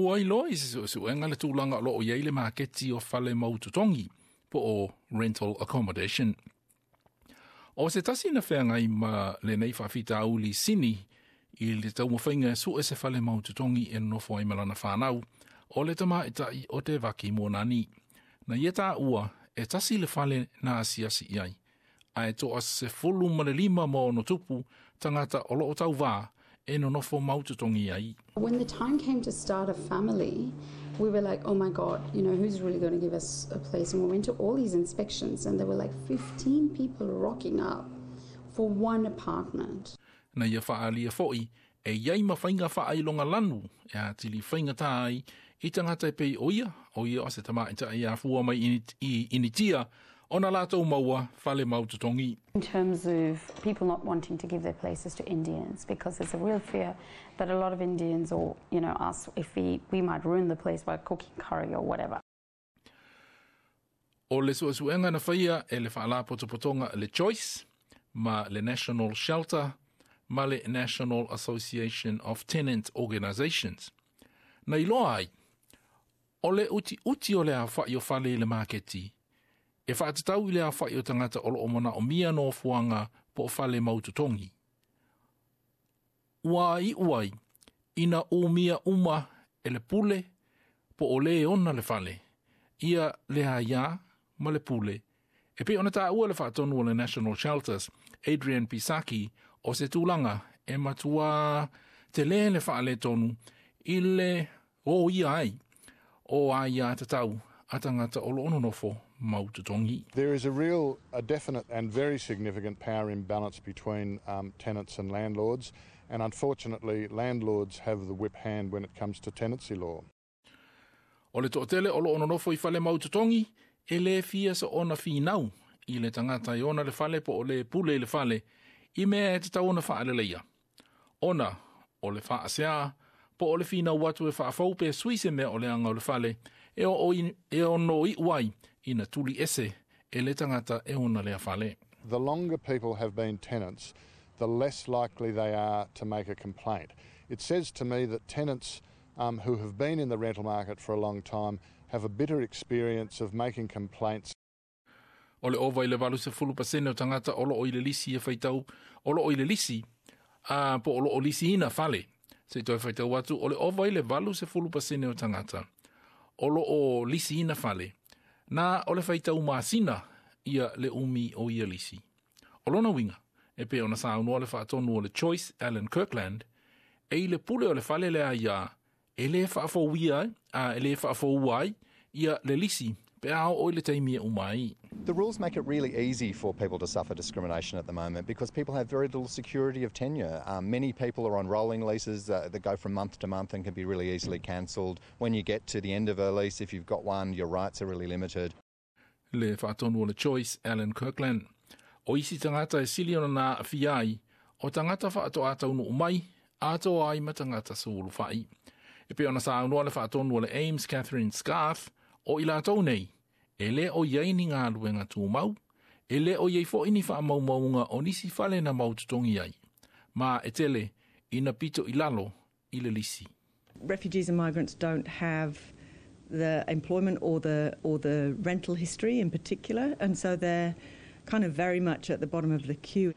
Ua iloa i se suesuega le tulaga o lo o i ai le maketi o fale mau totogi po o rental accommodation. O se tasi na feagai ma lenei faafitauli sini i le taumafaiga e sue se fale mau totogi e nonofo ai ma lana fanau, o le tamaitai o Devaki Moanani. Na ia taua e tasi le fale na asiasi i ai, ae 15+ tagata o lo o tauvā e nonofo mau totogi ai. When the time came to start a family, we were like, "Oh my God, who's really going to give us a place?" And we went to all these inspections and there were like 15 people rocking up for one apartment. Na ia faaalia foi e i ai ma faiga faailoga lanu e atili faigata ai i tagata e pei o ia, o ia o se tamaitai e afua mai i Initia, ona latou maua fale mau totogi. In terms of people not wanting to give their places to Indians because there's a real fear that a lot of Indians or us, if we might ruin the place by cooking curry or whatever. O le suesuega na faia e le faalapotopotoga le Choice ma le National Shelter ma le National Association of Tenant Organisations. Na iloa ai, o le utiuti o le aofa'i o fale i le maketi, e faatatau i le aofa'i o tagata o lo o manaomia nofoaga po o fale mau totogi. Ua iu ai, ina umia uma e le pule po o le ona le fale, ia le aiā ma le pule. E pei ona taua le faatonu o le National Shelters, Adrian Pisaki, o se tulaga e matuā telē le faaletonu i le roia ai o aiātatau a tagata o lo o nonofo mau totogi. There is a real, a definite and very significant power imbalance between tenants and landlords, and unfortunately landlords have the whip hand when it comes to tenancy law. O le toatele o lo o nonofo i fale mau totogi, e le fia soona finau i le tagata e ona le fale po o le pule i le fale, i mea e tatau ona faaleleia. Ona o le faasea po o le finau atu e faafou pe sui se mea o leaga o le fale, e o e ono iu ai ina tuli ese e le tagata e ona lea fale. The longer people have been tenants, the less likely they are to make a complaint. It says to me that tenants who have been in the rental market for a long time have a bitter experience of making complaints. O le ova i le 80% o tagata o lo o i le lisi e faitau, o lo o i le lisi, a po o lo o lisiina fale. Se i toe faitau atu, o le ova i le 80% o tagata o lo o lisiina fale. Na o le faitau masina ia le umi o ia lisi. O lona uiga, e pei ona saunoa le faatonu o le Choice Alan Kirkland, e i le pule o le fale le aiā, e le faafouia ai, a e le faafoua ai, ia le lisi, pe a oo i le taimi e uma ai. The rules make it really easy for people to suffer discrimination at the moment because people have very little security of tenure. Many people are on rolling leases that go from month to month and can be really easily cancelled. When you get to the end of a lease, if you've got one, your rights are really limited. Le faatonu o le Choice, Alan Kirkland. O isi tagata e sili ona na aafia ai, o tagata faatoa taunuu mai, atoa ai ma tagata sulufai. E pei ona saunoa le faatonu o le AMES Catherine Scarth, o i latou nei, e le o i ai ni galuega tumau, e le o i ai foi ni faamaumauga o nisi fale na mau totogi ai. Ma e tele, ina pito i lalo i le lisi. Refugees and migrants don't have the employment or the rental history in particular, and so they're kind of very much at the bottom of the queue.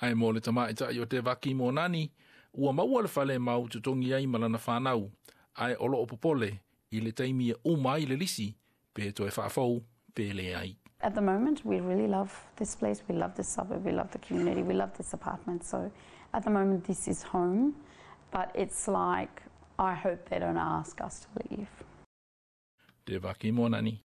Ae mo le tamaitai o Devaki Moanani, ua maua le fale mau totogi ai ma lana fanau, ae o lo o popole i le taimi e uma ai le lisi, pe toe faafou, pe leai. At the moment, we really love this place. We love this suburb. We love the community. We love this apartment. So at the moment, this is home. But it's like, I hope they don't ask us to leave. Devaki Moanani.